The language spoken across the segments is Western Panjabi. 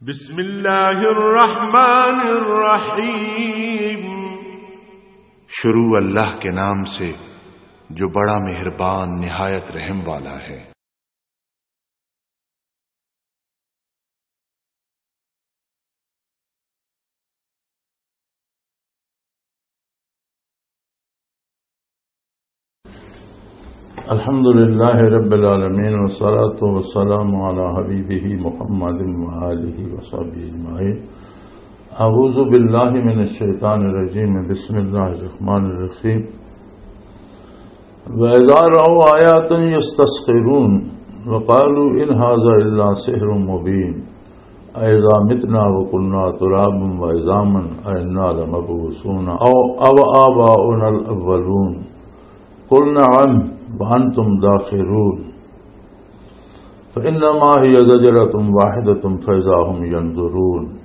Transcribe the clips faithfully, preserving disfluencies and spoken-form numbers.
بسم اللہ الرحمن الرحیم۔ شروع اللہ کے نام سے، جو بڑا مہربان، نہایت رحم والا ہے۔ الحمد لله رب العالمين، والصلاة والسلام على حبيبه محمد وآله وصحبه أجمعين. أعوذ بالله من الشيطان الرجيم. بسم الله الرحمن الرحيم. وإذا رأوا آية يستسخرون وقالوا إن هذا إلا سحر مبين. أإذا متنا وكنا ترابا وعظاما أإنا لمبعوثون أو، أو آباؤنا الأولون. قل نعم وأنتم داخرون. فإنما هي زجرة واحدة فإذا هم ينظرون.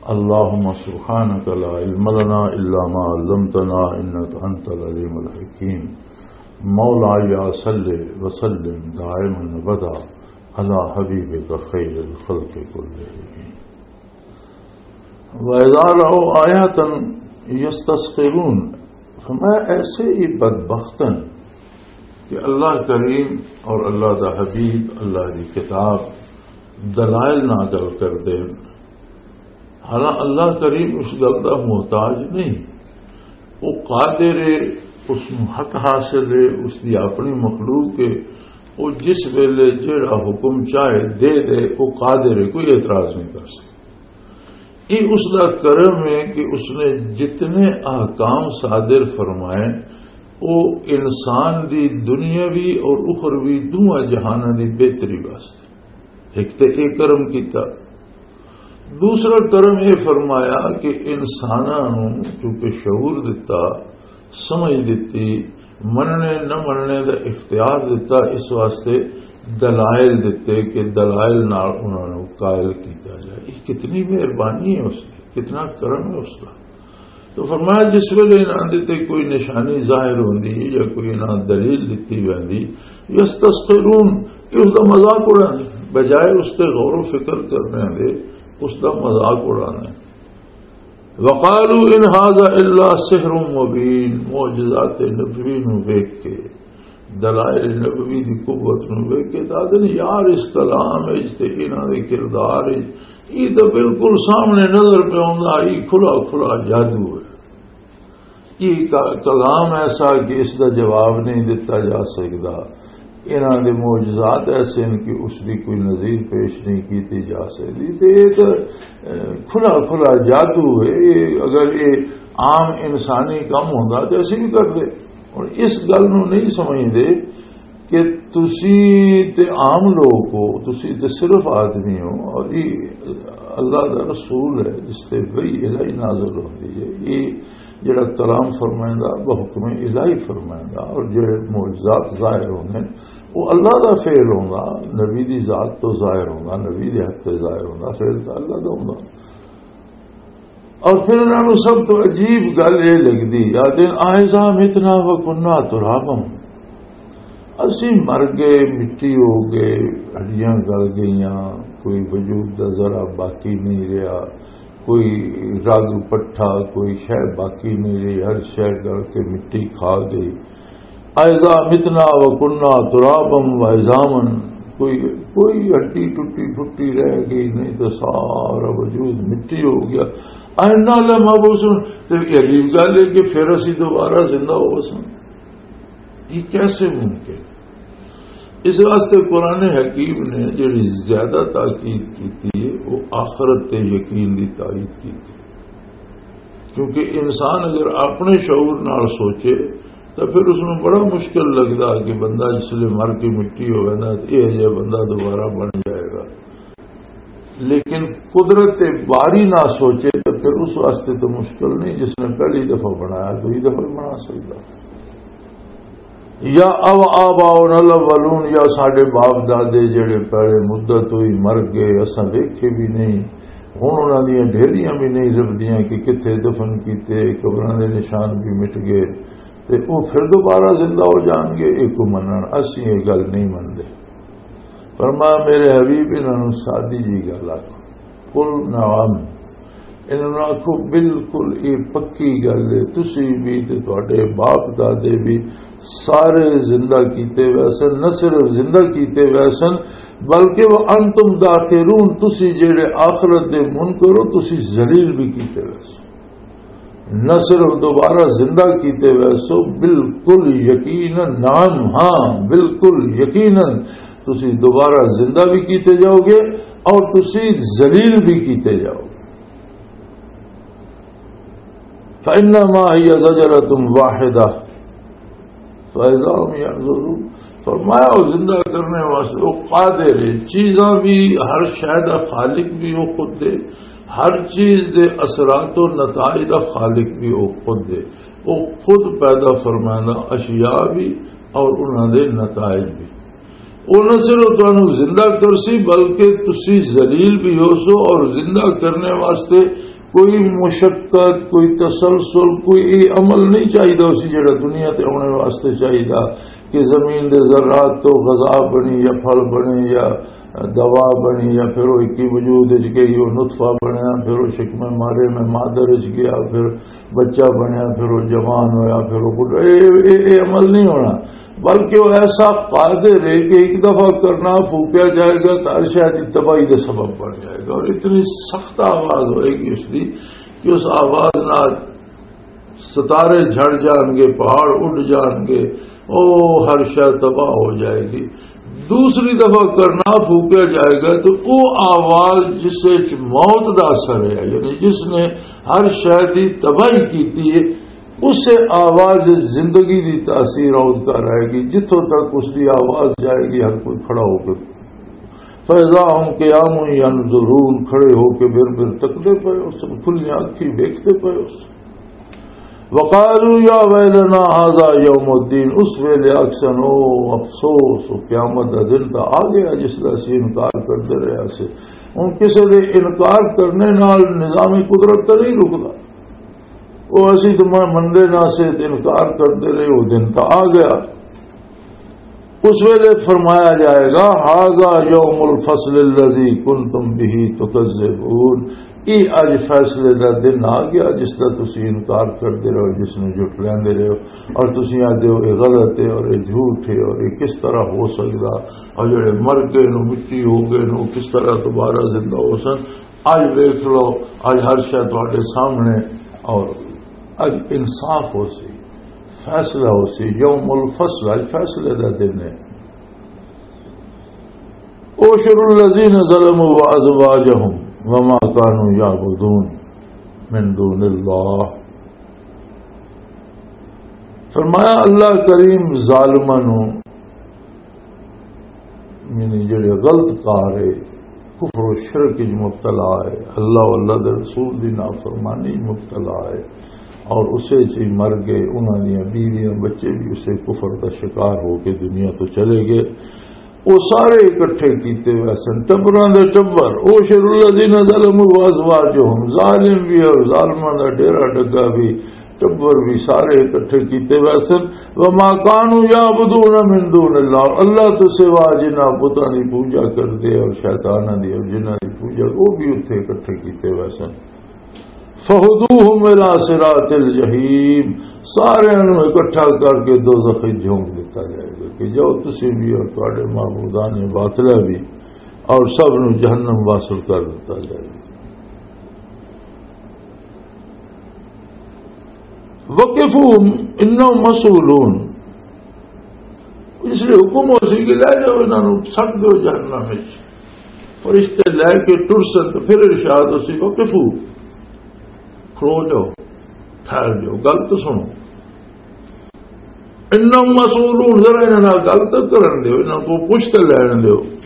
اللهم سبحانك لا علم لنا إلا ما علمتنا إنك أنت العليم الحكيم. مولاي صل وسلم دائما أبدا على حبيبك خير الخلق كلهم. وَإِذَا رَأَوْا آيَةً يَسْتَسْخِرُونَ، فرمایا ایسے ہی بدبخت ہیں کہ اللہ کریم اور اللہ دا حبیب، اللہ دی کتاب، دلائل ناقل کر دے۔ حالانکہ اللہ کریم اس گل دا محتاج نہیں، وہ قادر ہے، اس نوں حق حاصل ہے، اس دی اپنی مخلوق ہے، وہ جس ویلے جیڑا حکم چاہے دے دے، وہ قادر ہے، کوئی اعتراض نہیں کر سکتا۔ یہ اس دا کرم ہے کہ اس نے جتنے احکام صادر فرمائے، وہ انسان دی دنیاوی اور اخروی دونوں جہاناں دی بہتری واسطے۔ ایک تے اے کرم کیتا، دوسرا کرم یہ فرمایا کہ انساناں نوں چونکہ شعور دتا، سمجھ دتی، مننے نہ مننے دا اختیار دتا، اس واسطے دلائل دتے کہ دلائل نال انہاں نوں قائل کیتا جائے۔ یہ کتنی مہربانی ہے اس دی، کتنا کرم ہے اس دا۔ تو فرمایا، جس ویلے انہاں دے تے کوئی نشانی ظاہر ہوندی یا کوئی انہاں دلیل دتی ویندی، یستسخرون، یہ اس دا مذاق اڑاندے، بجائے اس تے غور و فکر کرنے دے، اس دا مذاق اڑاندے۔ وقالوا ان هذا الا سحر مبين، معجزات نبوی نو ویکھ کے، دلائل نبوی دی قوت نو ویکھ کے، دادن یار، اس کلام وچ تے انہاں دے کردار وچ، یہ تو بالکل سامنے نظر پہ آوندا، یہ کھلا کھلا جادو ہے۔ یہ کا-، کلام ایسا کہ اس دا جواب نہیں دتا جا سکدا۔ انہاں دے معجزات ایسے ہیں کہ اس دی کوئی نظیر پیش نہیں کیتی جا سکدی۔ تے یہ تے، اے، کھلا کھلا جادو ہے۔ یہ اگر یہ عام انسانی کم ہوندا تے اسی بھی کردے۔ اور اس گل نوں نہیں سمجھدے کہ تسی تے عام لوگ ہو، تسی تے صرف آدمی ہو، اور یہ اللہ دا رسول ہے جس تے وحی الہی نازل ہوندی ہے۔ یہ جڑا کلام فرمائندا، وہ حکم الہی فرمائندا، اور جڑے معجزات ظاہر ہوندے، وہ اللہ دا فعل ہوندا، نبی دی ذات تو ظاہر ہوندا، نبی دے حق تے ظاہر ہوندا، فعل تے اللہ دا ہوندا۔ اور پھر انہاں نوں سب تو عجیب گل یہ لگدی، آدھے، "آئزا متنا و کنا ترابا"، اسی مر گئے، مٹی ہو گئے، ہڈیاں گل گئیاں، کوئی وجود دا ذرا باقی نہیں رہیا، کوئی رگ پٹھا، کوئی شے باقی نہیں رہی، ہر شے گل کے مٹی کھا گئی۔ "اَإِذَا مِتْنَا وَكُنَّا تُرَابًا وَعِظَامًا"، کوئی، کوئی ہڈی ٹوٹی پھٹی رہ گئی نہیں، تو سارا وجود مٹی ہو گیا۔ "أَإِنَّا لَمَبْعُوثُونَ"، تو یہ عجیب گل ہے کہ پھر اسی دوبارہ زندہ ہو سن۔ یہ کیسے ممکن؟ اس واسطے قرآن حکیم نے جڑی زیادہ تاکید کی تھی، وہ آخرت تے یقین دی تائید کی تھی۔ کیونکہ انسان اگر اپنے شعور نال سوچے، تو پھر اس میں بڑا مشکل لگدا کہ بندہ جس لئے مر کے مٹی ہو ویندا، تو یہ جہا بندہ دوبارہ بن جائے گا۔ لیکن قدرت باری نہ سوچے تو پھر اس واسطے تو مشکل نہیں، جس نے پہلی دفعہ بنایا، دوئی دفعہ بھی بنا سکتا۔ یا او آباؤنا الاولون، یا ساڈے باپ دادے جڑے پہلے مدت ہوئی مر گئے، اساں ویکھے بھی نہیں، ہن انہاں دیاں ڈھیریاں بھی نہیں لبھدیاں کہ کتھے دفن کیتے، قبراں دے نشان بھی مٹ گئے، تے او پھر دوبارہ زندہ ہو جان گے؟ اے کو منن، اسی اے گل نہیں مندے۔ فرمایا، میرے حبیب، انہاں نوں سادی جی گل آکھو، قل نعم۔ انہاں نوں آکھو، بالکل یہ پکی گل ہے، تسی بھی تے تہاڈے باپ دادے بھی سارے زندہ کیتے ویسن، نہ صرف زندہ کیتے ویسن، بلکہ وانتم داخرون، تسی جڑے آخرت دے منکر ہو، تسی ذلیل بھی کیتے ویسن۔ نہ صرف دوبارہ زندہ کیتے ویسو، بالکل یقیناً، نعم، ہاں، بالکل یقیناً تسی دوبارہ زندہ بھی کیتے جاؤ گے اور تسی ذلیل بھی کیتے جاؤ گے۔ فَإِنَّمَا هِيَ زَجْرَةٌ وَاحِدَةٌ فَإِذَا هُمْ يَنظُرُونَ۔ فرمایا، وہ زندہ کرنے واسطے وہ قادر ہے، چیزاں بھی، ہر شے دا خالق بھی وہ خود ہے، ہر چیز دے اثرات و نتائج دا خالق بھی وہ خود ہے۔ وہ خود پیدا فرمانا اشیاء بھی اور انہاں دے نتائج بھی۔ وہ نہ صرف تانوں زندہ کرسی، بلکہ تسی ذلیل بھی ہو سو، اور زندہ کرنے واسطے کوئی مشقت، کوئی تسلسل، کوئی یہ عمل نہیں چاہیدا اسی جڑا دنیا تے آنے واسطے چاہیدا کہ زمین دے ذرات تو غذا بنی یا پھل بنے یا دوا بنی، یا پھر وہ اکی وجود وچ گئی، وہ نطفہ بنیا، پھر وہ شکم مارے میں مادر وچ گیا، پھر بچہ بنیا، پھر وہ جوان ہویا، پھر وہ بڈھا۔ اے، اے، اے عمل نہیں ہونا، بلکہ وہ ایسا قادر ہے کہ ایک دفعہ کرنا، پھوکیا جائے گا تو ہر شاید تباہی کا سبب بن جائے گا۔ اور اتنی سخت آواز ہوئے گی اس کی کہ اس آواز نال ستارے جھڑ جان گے، پہاڑ اڈ جان گے، او ہر شے تباہ ہو جائے گی۔ دوسری دفعہ کرنا پھوکیا جائے گا تو او آواز جس وچ موت دا اثر ہے، یعنی جس نے ہر شے دی تباہی کیتی ہے، اسے آواز زندگی دی تاثیر عود کر آئے گی۔ جتھوں تک اس دی آواز جائے گی، ہر کوئی کھڑا ہو کے فَإِذَا هُمْ قِيَامٌ يَنظُرُونَ، کھڑے ہو کے بر بر تکدے پئے اس، کھلیاں اکھی ویکھدے پئے اس۔ وَقَالُوا يَا وَيْلَنَا هَذَا يَوْمُ الدِّينِ، اس ویلے آکھسن، او افسوس، او قیامت دا دن تاں آ گیا جس دا اسی انکار کردے رہے سے۔ ہن کسے دے انکار کرنے نال نظام قدرت تے نہیں رکدا۔ او اسی تے مندے نہ سے تے انکار کردے رہے، او دن تاں آ گیا۔ اس ویلے فرمایا جائے گا، "ھذا یوم الفصل الذی کنتم بہ تکذبون۔" یہ اج فیصلے دا دن آ گیا جس دا تسی انکار کردے رہو، جس نوں جھٹلاندے رہو، اور تسی آدھے ہو یہ غلط ہے اور یہ جھوٹ ہے اور یہ کس طرح ہو سکدا، اور جڑے مر گئے نو، مٹی ہو گئے نو، کس طرح دوبارہ زندہ ہو سن۔ اج دیکھ لو، اج ہر شے تہاڈے سامنے، اور اج انصاف ہو سی، فیصلہ ہو سی، یوم الفصل، اج فیصلے دا دن ہے۔ احشروا الذین ظلموا وازواجہم وما کانوا یعبدون من دون اللہ۔ فرمایا، اللہ کریم ظالماں نوں، یعنی جڑے غلط کار ہے، کفر و شرک وچ مبتلا ہے، اللہ و اللہ دے رسول دی نافرمانی وچ مبتلا ہے، اور اسے چ ہی مر گئے، انہاں دیاں بیویاں، بچے بھی اسے کفر دا شکار ہو کے دنیا تو چلے گئے۔ وہ سارے اکٹھے کیتے ہوئے سن، ٹبراں دے ٹبر۔ احشروا الذین ظلموا وازواجہم، ظالم بھی اور ظالماں دا ڈیرہ ڈگا بھی، ٹبر بھی سارے اکٹھے کیتے ہوئے سن۔ وما کانوا یعبدون من دون اللہ، اللہ تو سوا جنہاں بتاں دی پوجا کردے اور شیطاناں دی اور جنہاں دی پوجا، وہ بھی اتھے اکٹھے کیتے ہوئے سن۔ فَهُدُوهُمْ إِلَىٰ صِرَاطِ الْجَحِيمِ، سارے نوں اکٹھا کر کے دوزخ وچ جھونک دتا جائے گا کہ جاؤ تسی بھی اور تواڈے معبودان باطلہ بھی، اور سب نوں جہنم واصل کر دتا جائے گا۔ وَقِفُوهُمْ إِنَّهُمْ مَسْئُولُونَ۔ اس لیے حکم ہو سی کہ لے جاؤ انہاں نوں، سٹ دو جہنم وچ۔ فرشتے لے کے ٹر سن، تو پھر ارشاد ہو سی، "وقفو، کھلو جاؤ، ٹھہر جاؤ، گل تو سنو۔ انہم مسئولون، ذرا انہاں نال گل تو کرن دیو، انہاں کو پوچھ تے لین دیو۔"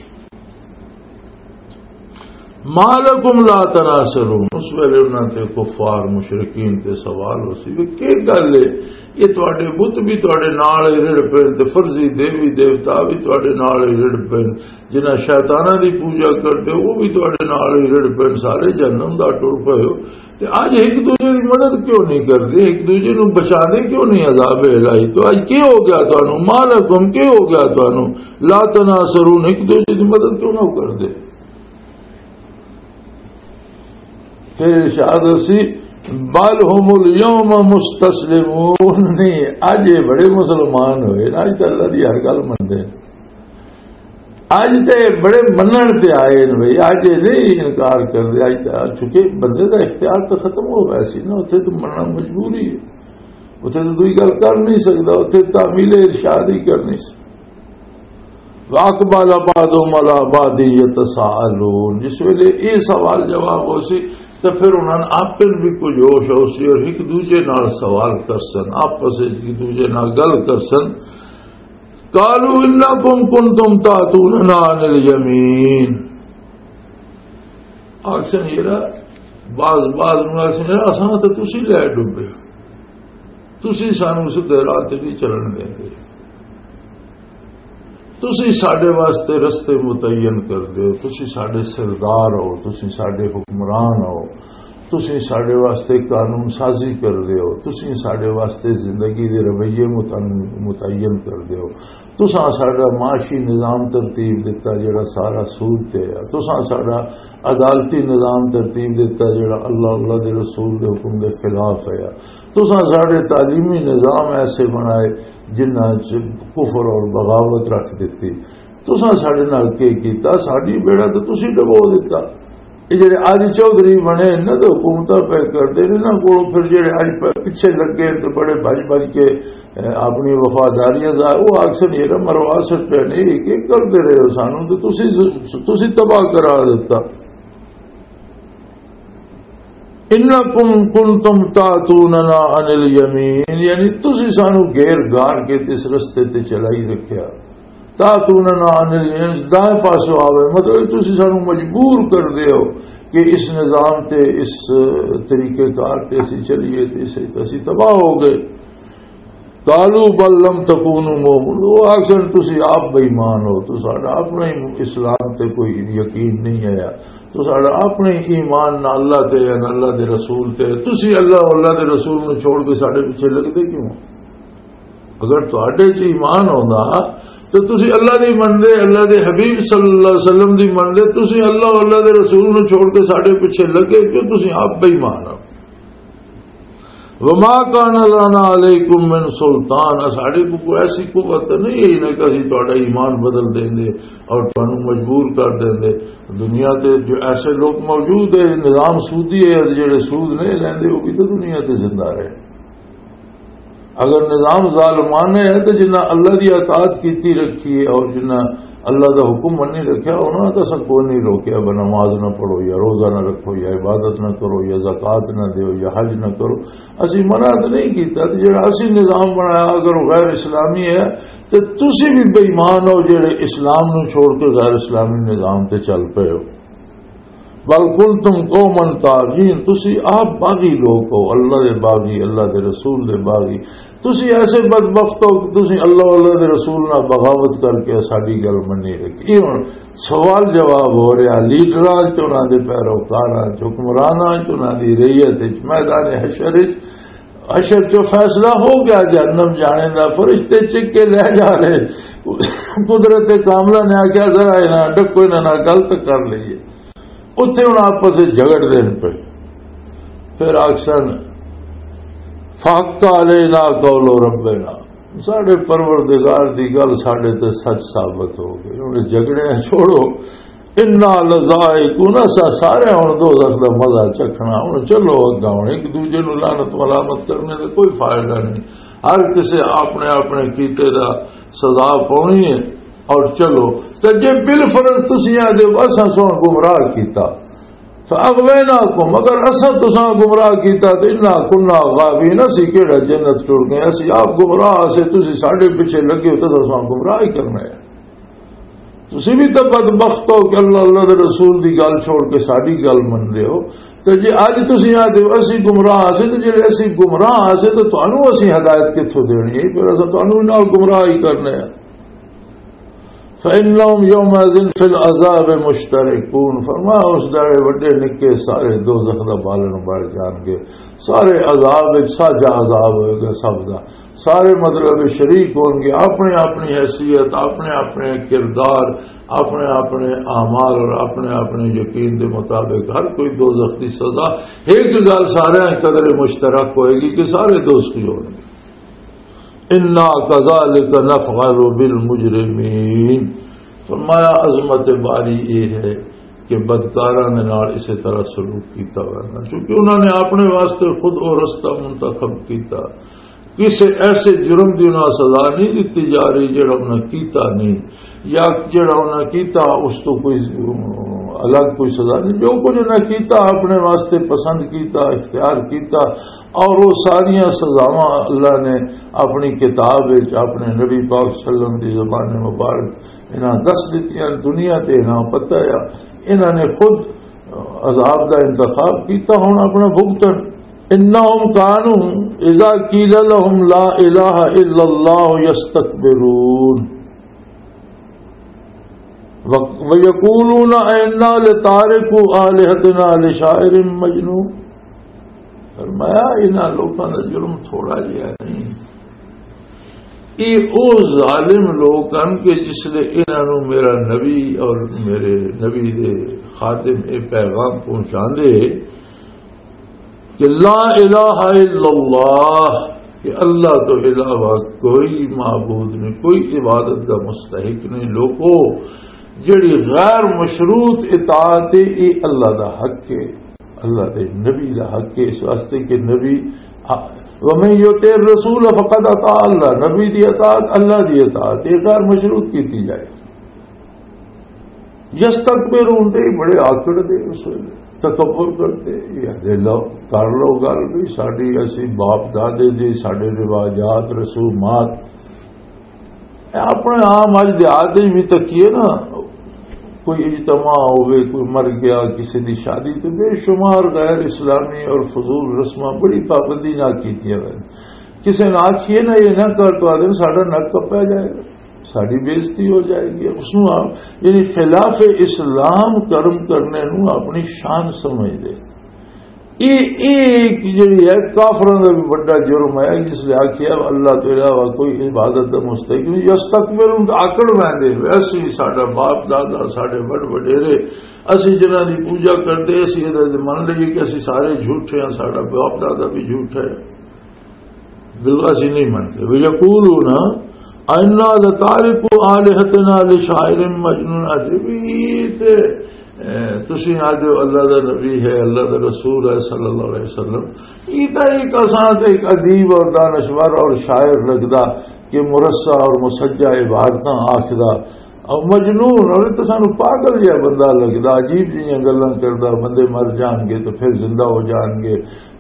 ما لکم لا تناصرون، اس ویلے انہاں تے کفار مشرکین تے سوال ہو سی کہ کی گل ہے، یہ تواڈے بت بھی تواڈے نال ہی رڑ پے تے فرضی دیوی دیوتا بھی تواڈے نال ہی رڑ پے، جنہاں شیطاناں دی پوجا کردے وہ بھی تواڈے نال ہی رڑ پے، سارے جہنم دا ٹر پے ہو، تے اج ایک دوجے دی مدد کیوں نہیں کردے، ایک دوجے نوں بچاندے کیوں نہیں عذاب الہی تو؟ اج کی ہو گیا تانوں؟ ما لکم، کی ہو گیا تانوں؟ لا تناصرون، ایک دوجے دی مدد کیوں نہ کردے؟ پھر ارشاد اسی، "بل هم الیوم مستسلمون۔" نہیں، اج یہ بڑے مسلمان ہوئے نا، اج تے اللہ دی ہر گل منتے ہیں۔ اج تے بڑے منن تے آئے نے بھائی، اج یہ نہیں انکار کردے۔ اج تے، چونکہ بندے دا اختیار تو ختم ہو گیا سی نا، اتھے تو مننا مجبوری ہے، اتھے تو دوئی گل کر نہیں سکدا، اتھے تعمیل ارشاد ہی کرنی سی۔ وَأَقْبَلَ بَعْضُهُمْ عَلَىٰ بَعْضٍ يَتَسَاءَلُونَ۔ جس ویلے یہ سوال جواب ہو سی، تو پھر انہاں نے آپس بھی کچھ ہوش ہو سی اور ایک دوجے نال سوال کر سن، آپس وچ ایک دوجے نال گل کر سن۔ قَالُوا إِنَّكُمْ كُنْتُمْ تَأْتُونَنَا عَنِ الْيَمِينِ۔ آکھن یرا، بعض، بعض نوں آکھن یرا، اساں تے تسی لے ڈبے، تسی سانوں سدھے راہ تے نہیں چلن دیندے۔ تسی ساڈے واسطے رستے متعین کر دیو، تسی ساڈے سردار ہو، تسی ساڈے حکمران ہو، تسی ساڈے واسطے قانون سازی کر دیو، تسی ساڈے واسطے زندگی دے رویے متعن-، متعین کر دیو۔ تساں ساڈا معاشی نظام ترتیب دتا جڑا سارا سود تے ہے، تساں ساڈا عدالتی نظام ترتیب دتا جڑا اللہ، اللہ دے رسول دے حکم دے خلاف ہے، تساں ساڈے تعلیمی نظام ایسے بنائے جنہاں چ کفر اور بغاوت رکھ دتی۔ تساں ساڈے نال کی کیتا؟ ساڈی بیڑا تے تسی ڈبو دتا۔ یہ جڑے اج چوہدری بنے، انہاں تے حکومتاں پہ کردے نے، انہاں کولوں پھر جڑے اج پ-، پیچھے لگے تے بڑے بھج بھج کے، اے، اپنی وفاداریاں دا، وہ آکھن، "یہ مروا سٹے نہیں، کی کردے رہے ہو سانوں؟ تے تسی، تسی تباہ کرا دتا۔" "انکم کنتم تاتوننا عن الیمین"، یعنی تسی سانو گھیر گار کے تے اس رستے تے چلائی رکھیا۔ "تاتوننا عن الیمین"، دائیں پاسوں آوے، مطلب تسی سانو مجبور کر دیو کہ اس نظام تے، اس طریقے کار تے اسی چلیے تے اسے تے اسی تباہ ہو گئے۔ "قالوا بل لم تکونوا مؤمنین"، وہ آکھن، "تسی آپ بے ایمان ہو، تو ساڈا اپنا ہی اسلام تے کوئی یقین نہیں آیا، تو ساڈا اپنے ایمان نہ اللہ تے یا نہ اللہ دے رسول تے، تسی اللہ، اللہ دے رسول نو چھوڑ کے ساڈے پیچھے لگدے کیوں ہو؟ اگر تہاڈے چ ایمان ہوندا تے تسی اللہ دی مندے، اللہ دے حبیب صلی اللہ علیہ وسلم دی مندے، تسی اللہ، اللہ دے رسول نو چھوڑ کے ساڈے پیچھے لگے کیوں؟ تسی آپ بے ایمان ہو۔" "وما کان لنا علیکم من سلطان"، ساڈے کو کوئی ایسی قوت نہیں ہے نہ کہ اسی تہاڈا ایمان بدل دیں دے اور تانوں مجبور کر دیں دے۔ دنیا تے جو ایسے لوگ موجود ہیں، نظام سودی ہے، جڑے سود نہیں لیندے، وہ بھی تو دنیا تے زندہ رہے۔ اگر نظام ظالمانہ ہے تو جنہاں اللہ دی اطاعت کیتی رکھی ہے اور جنہاں اللہ دا حکم منی رکھیا، انہاں دا اساں کوئی نہیں روکیا، بھاویں نماز نہ پڑھو یا روزہ نہ رکھو یا عبادت نہ کرو یا زکوٰۃ نہ دیو یا حج نہ کرو۔ اسی منع تے نہیں کیتا، تے جڑا اسی نظام بنایا، اگر وہ غیر اسلامی ہے، تے تسی بھی بے ایمان ہو جڑے اسلام نو چھوڑ کے غیر اسلامی نظام تے چل پئے ہو۔ "بل کنتم قوما طاغین"، تسی آپ باغی لوگ ہو، اللہ دے باغی، اللہ دے رسول دے باغی۔ تسی ایسے بدبخت ہو کہ تسی اللہ، اللہ دے رسول نال بغاوت کر کے ساڈی گل منی رکھی۔ یہ ہن سوال جواب ہو رہا، لیڈراں چ تے انہاں دے پیروکاراں چ، حکمراناں چ، انہاں دی رعیت چ، میدان حشر چ، حشر چ فیصلہ ہو گیا جہنم جانے دا، فرشتے چک کے لے جا رہے۔ قدرت کاملہ نے آخیا، "ذرا انہاں ڈکو، انہاں نال گل تے کر لئیے۔" اتھے ہن آپس وچ جھگڑ دین پے۔ پھر آکھسن، "فحق علینا قول ربنا"، ساڈے پروردگار دی گل ساڈے تے سچ ثابت ہو گئی۔ ہن اس جھگڑے چھوڑو، "انا لذائقون"، اساں سارے ہن دوزخ دا مزہ چکھنا۔ ہن چلو اگاں، ہن ایک دوجے نوں لعنت ملامت کرنے دا کوئی فائدہ نہیں، ہر کسے اپنے اپنے کیتے دا سزا پاونی ہے۔ اور چلو، تے جے بالفرض تسی آدھے ہو، "اساں سوہن گمراہ کیتا"، فاغویناکم، اگر اساں تساں گمراہ کیتا تے انا کنا غاوین، اسی کیڑا جنت ٹر گئے، اسی آپ گمراہ اسے، تسی ساڈے پیچھے لگے ہو تے تساں گمراہ ہی کرنا ہے۔ تسی بھی تے بدبخت ہو کہ اللہ، اللہ دے رسول دی گل چھوڑ کے ساڈی گل مندے ہو۔ تے جے اج تسی آدھے ہو اسی گمراہ اسے، تے جے اسی گمراہ اسے تے تانوں اسی ہدایت کتھوں دینی ہے؟ پھر اساں تانوں بھی نال گمراہ ہی کرنا ہے۔ فإنهم يومئذ في العذاب مشتركون۔ فرمایا، اس داڑے وڈے نکے سارے دوزخ دا بالن بن جان گے، سارے عذاب وچ ساجا عذاب ہوئے گا سب دا۔ سارے مطلب شریک ہون گے، اپنے اپنی حیثیت، اپنے اپنے کردار، اپنے اپنے اعمال اور اپنے اپنے یقین دے مطابق ہر کوئی دوزخ دی سزا۔ ایک گل سارے قدر مشترک ہوئے گی کہ سارے دوزخی ہون گے۔ انا کذالک نفعل بالمجرمین۔ فرمایا، عظمت باری یہ ہے کہ بدکاراں دے نال اسی طرح سلوک کیتا ہوا ہے، کیونکہ انہوں نے اپنے واسطے خود وہ رستہ منتخب کیتا۔ کسی ایسے جرم دی انہاں سزا نہیں دتی جا رہی جڑا انہاں کیتا نہیں، یا جڑا انہاں کیتا اس تو کوئی الگ کوئی سزا نہیں۔ جو کچھ انہاں کیتا، اپنے واسطے پسند کیتا، اختیار کیتا، اور وہ ساریاں سزاواں اللہ نے اپنی کتاب وچ اپنے نبی پاک صلی اللہ علیہ وسلم دی زبان مبارک انہاں دس دتیاں۔ دنیا تے انہاں پتہ ہے، انہاں نے خود عذاب دا انتخاب کیتا، ہن اپنا بھگتن۔ انہم کانوا اذا قیل لهم لا الہ الا اللہ یستکبرون۔ و-، وَيَقُولُونَ أَئِنَّا لَتَارِكُو آلِهَتِنَا لِشَاعِرٍ مَجْنُونٍ۔ فرمایا، انہاں لوکاں دا جرم تھوڑا جہا نہیں۔ یہ او ظالم لوگ ہن کہ جس لے انہاں نوں میرا نبی اور میرے نبی دے خادم یہ پیغام پہنچاندے کہ لا الہ الا اللہ، کہ اللہ تو علاوہ کوئی معبود نہیں، کوئی عبادت کا مستحق نہیں۔ لوگو، جڑی غیر مشروط اطاعت ہے، یہ اللہ دا حق ہے، اللہ دے نبی دا حق ہے، اس واسطے کہ نبی، وَمَن يُطِعِ الرَّسُولَ فَقَدْ أَطَاعَ اللَّهَ، نبی دی اطاعت اللہ دی اطاعت، یہ غیر مشروط کیتی جائے۔ یستکبرون، تے بڑے آکڑ دے اس ویلے، تکبر کرتے، یہ دے لو، کر لو گل بھی، ساڈی، اسی باپ دادے دی، ساڈے رواجات، رسومات۔ اے اپنے عام اج دیہات وچ بھی تکیے نا، کوئی اجتماع ہوئے، کوئی مر گیا، کسی دی شادی، تو بے شمار غیر اسلامی اور فضول رسماں بڑی پابندی نال کیتیاں وین۔ کسی نے آکھیے نا، یہ نہ کر، تو آدھے ساڈا نک کپیا جائے گا۔ ساری بےعزتی ہو جائے گی۔ اس نوں آپ، یعنی خلاف اسلام کرم کرنے نوں اپنی شان سمجھ دے۔ یہ، یہ ایک جڑی ہے، کافراں دا بھی بڑا جرم ہے، جس نے آکھیا اللہ تو علاوہ کوئی عبادت دا مستحق نہیں۔ یستکبرون، آکڑ ویندے، ویسے ہی ساڈا باپ دادا، ساڈے بڑ وڈیرے، اسی جنہاں دی پوجا کردے، اسی ادا من لئیے کہ اسی سارے جھوٹے ہیں، ساڈا باپ دادا بھی جھوٹا ہے۔ بالکل اسی نہیں منتے۔ وَيَقُولُونَ أَئِنَّا لَتَارِكُو آلِهَتِنَا لِشَاعِرٍ مَجْنُونٍ۔ اجے بھی تے، اے، تسی آدھے ہو اللہ دا نبی ہے، اللہ دا رسول ہے صلی اللہ علیہ وسلم۔ یہ تا ایک اساں تے ایک ادیب اور دانشور اور شاعر لگدا کہ مرصع اور مسجع عبارتاں آکھدا۔ اور مجنون، اور تے سانو پاگل جہا بندہ لگدا، عجیب جہیاں گلاں کردا، بندے مر جان گے تو پھر زندہ ہو جان گے۔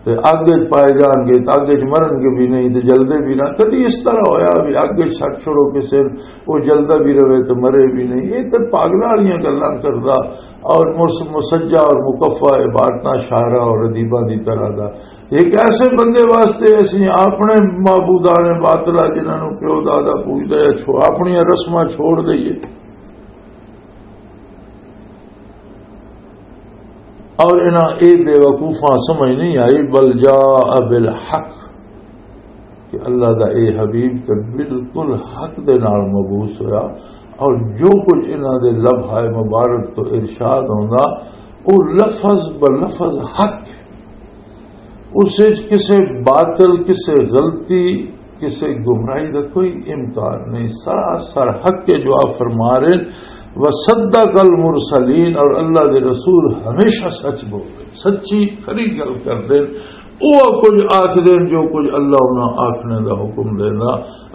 تے اگ وچ پائے جان گے، تے اگ وچ مرن گے بھی نہیں، تے جلدے بھی نہ۔ کدی اس طرح ہویا بھی اگ وچ سٹ چھوڑو کسے نوں، وہ جلدا بھی رہے تے مرے بھی نہیں؟ یہ تے پاگلاں والیاں گلاں کردا اور مس-، مسجع اور مکفع عبارتاں شاعراں اور ادیباں دی طرح دا۔ ایک ایسے بندے واسطے اسی اپنے معبودان باطلہ جنہاں نوں پیو دادا پوجدا ہے، چھو-، اپنیاں رسماں چھوڑ دئیے۔ اور انہاں اے بے وقوفاں سمجھ نہیں آئی، بل جاء بالحق، کہ اللہ دا اے حبیب تے بالکل حق دے نال مبعوث ہویا، اور جو کچھ انہاں دے لبھائے مبارک تو ارشاد ہوندا، او لفظ بلفظ حق ہے۔ اس وچ کسے باطل، کسے غلطی، کسے گمراہی دا کوئی امکان نہیں، سراسر حق ہے جو آپ فرما رہے ہیں۔ وصدق المرسلین، اور اللہ دے رسول ہمیشہ سچ بول رہے، سچی کھری گل کر دے۔ وہ کچھ آکھ دے جو کچھ اللہ انہاں آکھنے دا حکم دینا۔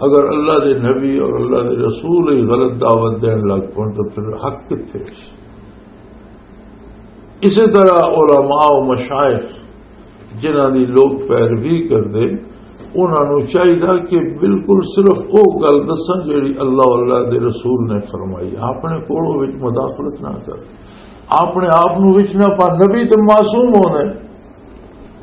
اگر اللہ دے نبی اور اللہ دے رسول ہی غلط دعوت دین لگ پن تو پھر حق کتھے؟ اسی طرح علماء و مشائخ جنہاں دی لوگ پیروی کردے، انہاں نوں چاہیدا کہ بالکل صرف او گل دسن جیڑی اللہ و اللہ دے رسول نے فرمائی، اپنے کولوں وچ مداخلت نہ کر، اپنے آپ نوں وچ نہ پا۔ نبی تے معصوم ہونے،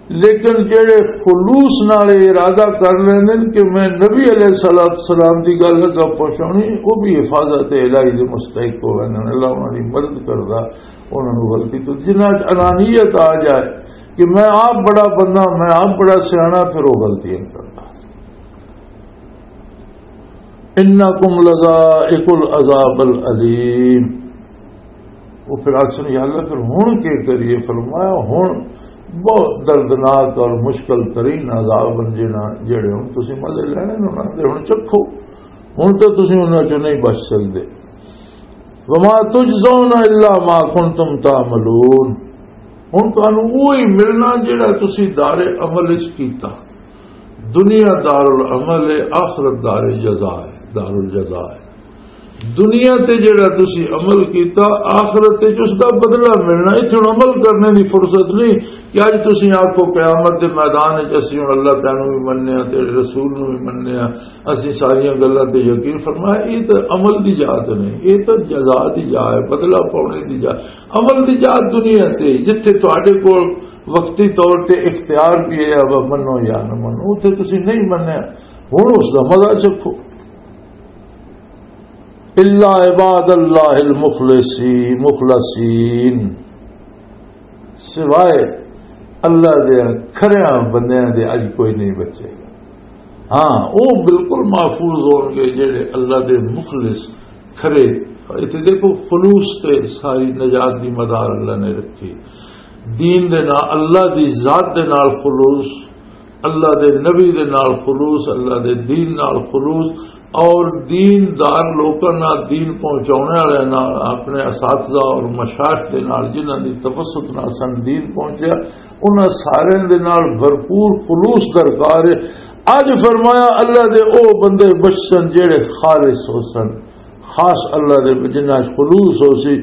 لیکن جڑے خلوص نال یہ ارادہ کر لیندے نے کہ میں نبی علیہ الصلوۃ والسلام دی گل اگا پہنچانی، وہ بھی حفاظت الہی دے مستحق ہو ویندے نے، اللہ انہاں دی مدد کردا۔ انہاں نوں غلطی تو، جنہاں وچ انانیت آ جائے کہ میں آپ بڑا بندہ، میں آپ بڑا سیاݨا، پھر وہ غلطیاں کردا۔ انکم لذائق العذاب العلیم۔ وہ پھر آکھن، یا اللہ، پھر ہن کی کریے؟ فرمایا، ہن بہت دردناک اور مشکل ترین عذاب ہن، جنہاں، جڑے ہن تسی مزے لینے نے انہاں دے، ہن چکھو، ہن تو تسی انہاں چوں نہیں بچ سکدے۔ وما تجزون الا ما کنتم تعملون۔ ہن تانوں وہی ملنا جڑا تسی دار عمل وچ کیتا۔ دنیا دار العمل ہے، آخرت دار جزا ہے، دار الجزا ہے۔ دنیا تے جڑا تسی عمل کیتا، آخرت وچ اس دا بدلہ ملنا۔ اتھے ہن عمل کرنے دی فرصت نہیں کہ اج تسی آکھو، قیامت دے میدان وچ اسی ہن اللہ تعالیٰ نوں بھی مننے آ، تیرے رسول نوں بھی مننے آ، اسی ساریاں گلاں تے یقین۔ فرمایا، یہ تے عمل دی جا تے نہیں، یہ تے جزا دی جا ہے، بدلہ پاونے دی جا۔ عمل دی جا دنیا تے، جتھے تہاڈے کول وقتی طور تے اختیار بھی ہے، اب منو یا نہ منو، اتھے تسی نہیں منیا، ہن اس دا مزہ چکھو۔ الا عباد اللہ المخلصی-، مخلصین، سوائے اللہ دے کھریاں بندیاں دے اج کوئی نہیں بچے گا۔ ہاں، وہ بالکل محفوظ ہون گے جڑے اللہ دے مخلص کھرے۔ اتھے دیکھو، خلوص تے ساری نجات دی مدار اللہ نے رکھی۔ دین دے نال، اللہ دی ذات دے نال خلوص، اللہ دے نبی دے نال خلوص، اللہ دے دین نال خلوص، اور دین دار لوکاں نال، دین پہنچاونے والے نال، اپنے اساتذہ اور مشائخ دے نال، جنہاں دی توسط نال سن دین پہنچیا، انہاں سارے دے نال بھرپور خلوص درکار ہے۔ اج فرمایا، اللہ دے او بندے بچسن جڑے خالص ہو سن، خاص اللہ دے، جنہاں وچ خلوص ہو سی۔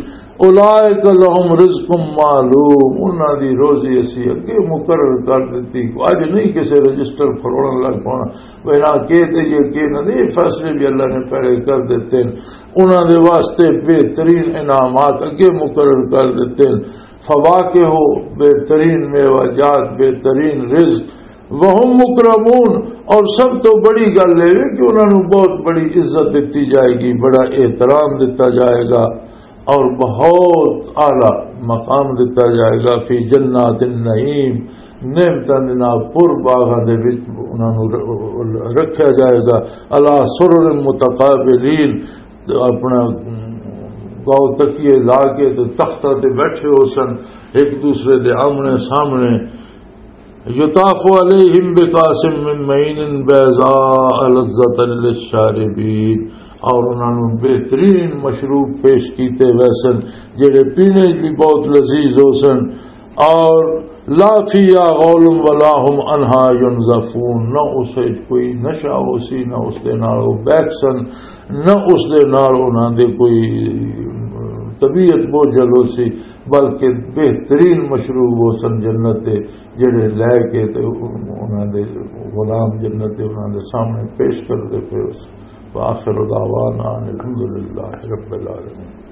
اولئک لہم رزق معلوم، انہاں دی روزی اسی اگے مقرر کر دتی۔ اج نہیں کسے رجسٹر فروڑن لگ پانا، بھئی نہ کے تے یہ کے نہ دے، یہ فیصلے بھی اللہ نے پہلے کر دیتے ہیں۔ انہاں دے واسطے بہترین انعامات اگے مقرر کر دیتے ہیں۔ فواکہ ہو، بہترین میوہ جات، بہترین رزق، وہم مکرمون، اور سب تو بڑی گل یہ ہے کہ انہاں نوں بہت بڑی عزت دتی جائے گی، بڑا احترام دتا جائے گا، اور بہت اعلیٰ مقام دتا جائے گا، فی جنات النعیم، نعمتاں دے نال پر باغاں دے وچ انہاں نوں ر-، رکھیا جائے گا، علی سرر متقابلین، تے اپنا گاؤ تکیے لا کے تے تختہ تے بیٹھے ہو سن، ایک دوسرے دے آمنے سامنے۔ یطاف علیہم بکاس من معین بیضاء لذۃ للشاربین، اور انہاں نوں بہترین مشروب پیش کیتے ویسن، جڑے پینے بھی بہت لذیذ ہو سن۔ اور لا فیہا غول ولا هم عنہا ینزفون، نہ اس وچ کوئی نشہ ہو سی، نہ اس دے نال وہ بہک سن، نہ اس دے نال انہاں دے کوئی طبیعت بوجھل ہو سی، بلکہ بہترین مشروب ہو سن جنت دے، جڑے لے کے تے انہاں دے غلام جنت دے انہاں دے سامنے پیش کردے پئے ہو سن۔ وآخر دعوانا ان الحمد للہ رب العالمین۔